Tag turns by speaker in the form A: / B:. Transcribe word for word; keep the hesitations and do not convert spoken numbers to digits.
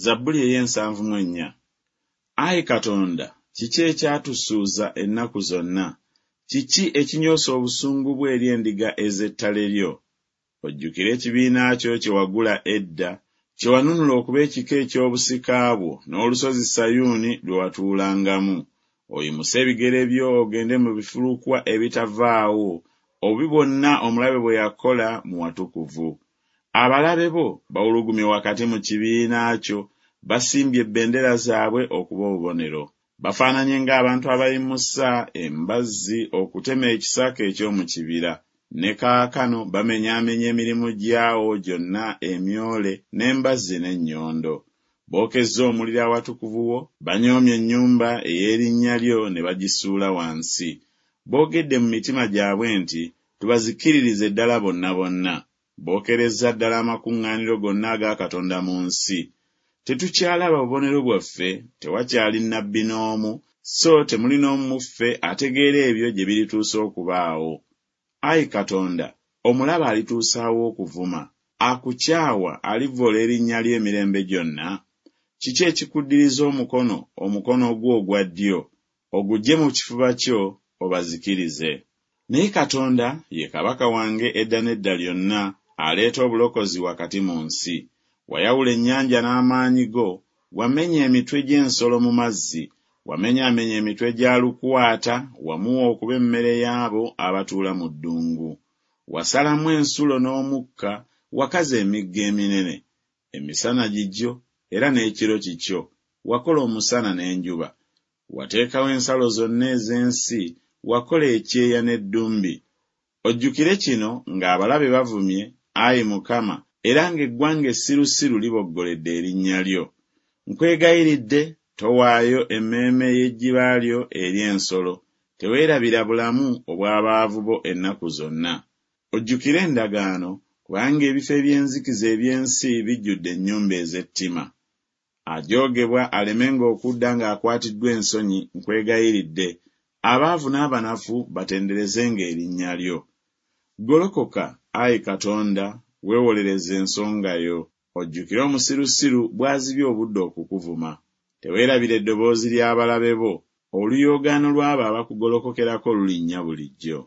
A: Zabbuli ey'ensanvu mu ennya. Ayi Katonda, kiki ekyatusuuza ennaku zonna? Kiki ekinyoosa obusungu bwo eri endiga ez'ettale lyo? Ojjukire ekibiina kyo kye wagula edda, kye wanunula okuba ekika eky'obusika bwo, n'olusozi Sayuuni lwe watuulangamu. Oyimuse ebigere byo ogende mu bifulukwa ebitavaawo, obubi bwonna omulabe bwe yakola mu watukuvu. Abalabe bo bawulugumye wakati mu kibiina kyo, basimbye ebbendera zaabwe okuba obubonero. Bafaananye ng'abantu abayimusa embazzi okutema ekisaka eky'omu kibira. Ne kaakano bamenyaamenya emirimu gyawo gyonna emyole n'embazzi n'ennyondo. Bookezza omuliro awatukuvu wo, banyoomye ennyumba ey'erinnya lyo ne bagisuula wansi. Boogedde mu mitima gyabwe nti, Tubazikiririze ddala bonna bonna. Bookerezza ddala amakuŋŋaaniro gonna aga Katonda mu nsi. Tetukyalaba bubonero bwaffe, tewakyali nnabbi n'omu, so temuli n'omu mu ffe ategeera ebyo gye birituusa okubaawo. Ayi Katonda, omulabe alituusaawo okuvuma? Akukyawa alivvoola erinnya lyo emirembe gyonna? Kiki ekikuddiriza omukono, omukono gwo ogwa ddyo? Oguggye mu kifuba kyo, obazikirize. Naye Katonda ye kabaka wange edda n'edda lyonna, aleeta obulokozi wakati mu nsi. Wayawula ennyanja n'amaanyi go, wamenya emitwe gy'ensolo mu mazzi, wamenyaamenya emitwe gya lukwata, wamuwa okuba emmere y'abo abatuula mu ddungu. Wasalamu ensulo n'omukka, wakaza emigga eminene. Emisana gigyo era n'ekiro kikyo, wakola omusana n'enjuba. Wateekawo ensalo zonna ez'ensi, wakola ekyeya n'eddumbi. Ojjukire kino ng'abalabe bavumye, ayi Mukama, era ng'eggwanga essirusiru liboggoledde erinnya lyo. Nkwegayiridde towaayo emmeeme y'ejjiba lyo eri ensolo, teweerabira bulamu obw'abaavu bo ennaku zonna. Ojjukire endagaano, kubanga ebifo eby'enzikiza eby'ensi bijjudde ennyumba ez'ettima. Ajoogebwa alemenga okudda ng'akwatiddwa ensonyi, nkwegayiridde, abaavu n'abanafu batenderezenga erinnya lyo. Golokoka, ayi Katonda, weewolereze ensonga yo. Ojjukire omusirusiru bw'azibye obudde okukuvuma. Teweerabira eddoboozi ly'abalabe bo, oluyoogaano lw'abo abakugolokokerako lulinnya bulijjo.